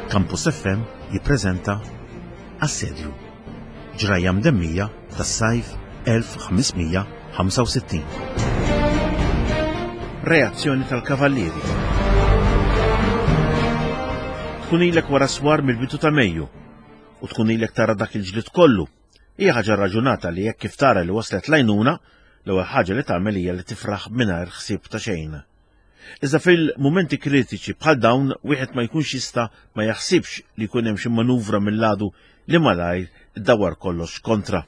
Campus FM jippreżenta Assedju. Ġrajja mdemmija tas-sajf 1565. Reazzjoni tal-Kavallieri. Tkun ilek wara swar mill-bidu ta' Mejju u tkun ilek tara dak il-ġlied kollu. Hija ħaġa raġunata li jekk kif tara li waslet l-għajnuna, l-ewwel ħaġa li tagħmel hija li tifraħ mingħajr ħsieb ta' xejn. Iżda fil-mumenti kritiċi bħal dawn wieħed ma jkunx jista' ma jaħsibx li jkun hemm xi manuvra mill-għadu li malajr iddawwar kollox kontra.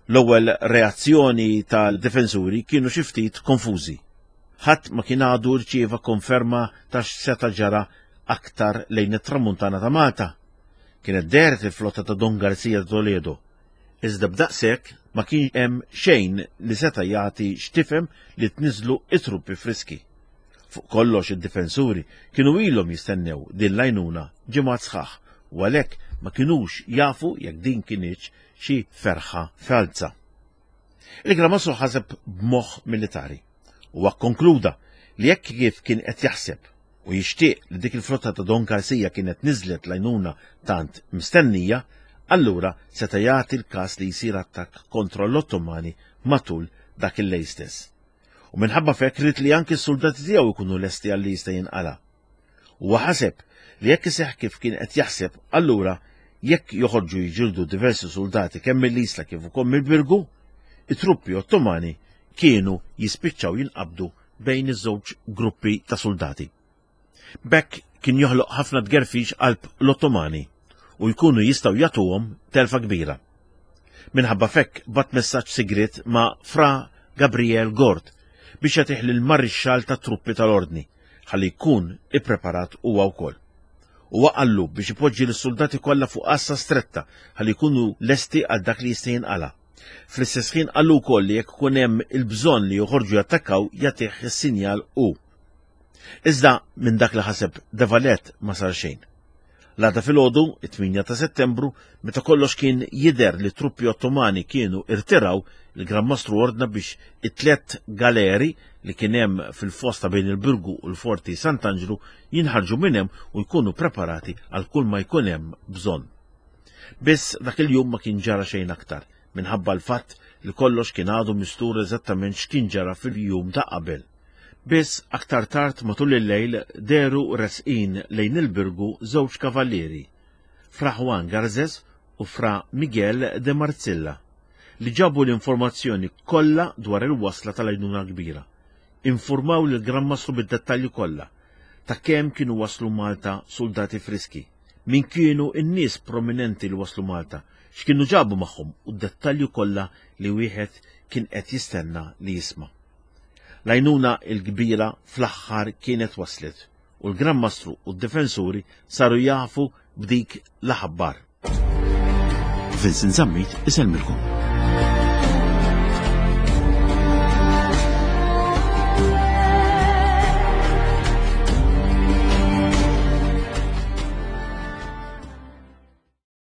L-ewwel reazzjoni tal-difensuri kienu xi ftit konfużi. Ħadd ma kien għadu rċieva konferma ta' x'seta' ġara aktar lejn it-tramuntana ta' Malta. Kienet dehret il-flotta ta' Don Garcia de Toledo Iżda b'daqshekk ma kien hemm xejn li seta' jagħti x'tifhem li tniżżlu t-truppi friski. Fuq kollox id-difensuri kienu ilhom jistennew din l-għajnuna ġimgħat sħaħ u għalhekk ma kinux jafu jekk din kinitx xi ferħa falza. Il-Gran Mastru ħaseb b'moħħ militari. Huwa kkonkluda li jekk kif kien qed jaħseb u jixtieq li dik il-flotta ta' Don Garcia kienet niżlet l-għajnuna tant mistennija, allura seta' jagħti l-każ li jsir attakk kontra l-Ottomani matul dak il-lejl stess. U minħabba f'hekk ried li anki s-suldati tiegħu jkunu lesti għal li jista' jinqala'. Huwa ħaseb li jekk iseħħ kif kien qed jaħseb, allura jekk joħorġu jiġildu diversi suldati kemm mill-Isla kif ukoll mill-Birgu, it-truppi Ottomani kienu jispiċċaw jinqabdu bejn iż-żewġ gruppi ta' suldati. B'hekk kien joħloq ħafna tgerfix qalb l-Ottomani u jkunu jistgħu jagħtuhom telfa kbira. Minħabba f'hekk bat messaġġ sigriet ma' Fra Gabriel Gord biex jagħtih lill-marixxall tat-truppi tal-Ordni ħalli jkun ippreparat huwa wkoll. Huwa qallu biex ipoġġi lis-suldati kollha fuq għassa stretta ħalli jkunu lesti għal dak li jista' jinqala'. Fl-istess ħin qallu wkoll li jekk ikun hemm il-bżonn li joħorġu jattakkaw jagħtih is-sinjal hu. Iżda minn dak li ħaseb De Valette ma sar xejn. L-għada filgħodu, it-8 ta' Settembru, meta kollox kien jidher li truppi Ottomani kienu irtiraw, il-Gran Mastru ordna biex it-tlet galeri li kien hemm fil-fosta bejn il-Birgu u l-Forti Sant'Anġlu jinħarġu minn hemm u jkunu preparati għal kull ma jkun hemm bżonn. Biss dak il-jum ma kien ġara xejn aktar, minħabba l-fatt li kollox kien għadu mistur eżattament x'kien ġara fil-jum ta' qabel. Biss aktar tard matul il-lejl dehru resqin lejn il-Birgu żewġ kavallieri, Fra Juan Garces u Fra Miguel de Marzilla, li ġabu l-informazzjoni kollha dwar il-wasla tal-għajnuna l-kbira. Infurmaw lill-Gran Mastru bid-dettalji kollha ta' kemm kienu waslu Malta suldati friski, min kienu n-nies prominenti li waslu Malta, x'kienu ġabu magħhom u d-dettalji kollha li wieħed kien qed jistenna li jisma'. L-għajnuna l-kbira fl-aħħar kienet waslet u l-Gran Mastru u d-difensuri saru jafu b'dik l-aħbar. Vincent Zammit isellmilkom.